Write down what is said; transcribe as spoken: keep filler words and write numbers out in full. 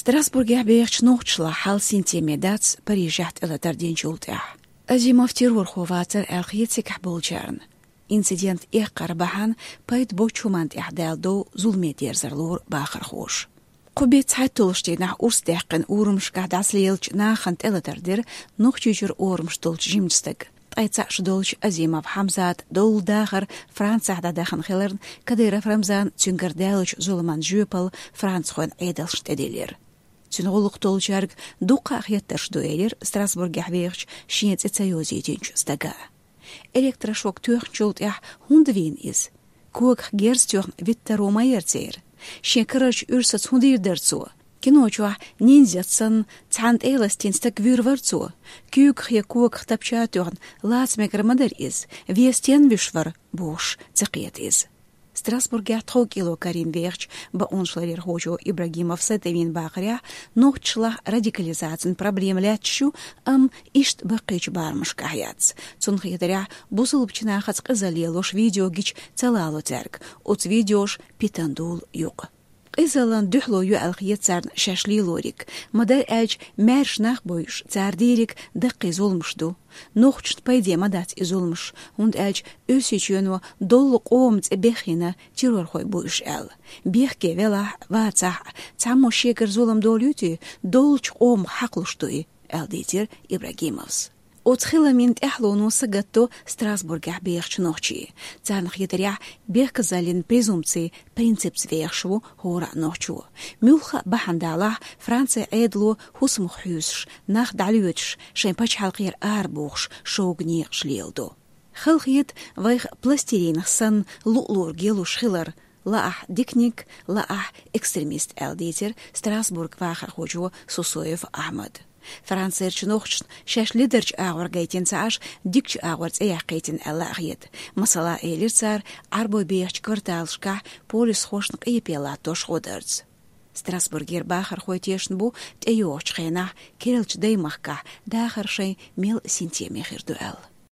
Страсбургехь бехачу нохчашлахь хьал синтеме дац Парижехь тӀелатар динчул тӀаьхьа. Азимов террорхо вацара аьлла хета цигахь болчарна. Инцидент эккхар бахьана пайда боцчу хӀуманна тӀехь даьлла дов зуламе дерзар лору бахархоша. Кху беттан цхьайтталгӀачу дийнахь урс даьккхина урамашкахь дӀасалелачу нахана тӀелатар дира Нохчийчуьра орамаш долчу жимачу стага. Ткъе цхьаъ шу долчу Азимов Хьамзата долу дахар Францехь дӀадахана хиларна, Кадыров Рамзана цуьнгара даьллачу зуламан жоьпалла францхойн Ӏедалшна тӀедиллира. Цуьнан гӀуллакх долчаьрга дуккха а хеттарш ду, элира Страсбургехь вехачу шен цӀе ца йозийтинчу стага. Электрошок тоьхначул тӀаьхьа хӀунда вийна иза? Когах герз тоьхна виттаро ма яра церан. Шен карарчу уьрсаца хӀун дийр дара цо? Кино чохь ниндзяца санна цхьана тӀе а ластийна стаг вуьйр вара цо? Куьйгах я когах тапча а тоьхна, лаца мегар ма дара иза, вен стенна вуьш вара, бохуш ца кхета иза. Страсбургехь тхов кӀело карийна вехачу бакъонашларъярхочо Ибрагимов Сайтовна бахарехь, нохчашлахь радикализацин проблема лаьтташ ю, амма иштта баккхийчу барамашкахь яц. Цунна хетарехь, бусалбачу нахаца къизалла лелош видео гича ца лало цаьрга, оцу видеоша питана дуьллу юкъа. Къизаллина дуьхьало ю аьлла хета царна шаьш лелориг. Ма-дарра аьлча, маьрша нах бойуш, цара дийриг даккхий зуламаш ду. Нохчашна пайде ма дац и зуламаш, хӀунда аьлча Оьрсийчоьно доллу къоман цӀе бехйина террорхой бу уьш аьлла. Бехке велахь а, вацахь а, цхьаммо шегара зулам долуьйтий, доллучу къомах хьакхалуш ду и, аьлла дийцира Ибрагимовс. Оцу хиламийн тӀаьхьалонан сагатдо Страсбургехь бехачу нохчий. Царна хетарехь, бехказаллин презумпций принципца вехаш ву хӀора а нохчо. Муьлхха а бахьана далахь, Францин Ӏедало хӀусамах хьуьйсуш, нах дӀалоьцуш, шайн пачхьалкхера арабохуш шога некъаш леладо. Хала хета вайх пластилинах санна луъ-луург ялуш хилар, лаахь диканиг, лаахь экстремист, аьлла дийцира Страсбург вахархочо Сусоев Ахьмада. Францерчу нохчашна шаьш ледарчу агӀор гайтина ца Ӏаш, дикачу агӀор цӀе яьккхийтина аьлла а хета. Масала, элира цара, Ӏарбой бехачу кварталашкахь полисхошна къепе латтош гӀо дарца. Страсбургера бахархой тешна бу тӀейогӀучу хенахь керлачу даймахкахь дахар шайн мел синтеме хир ду аьлла.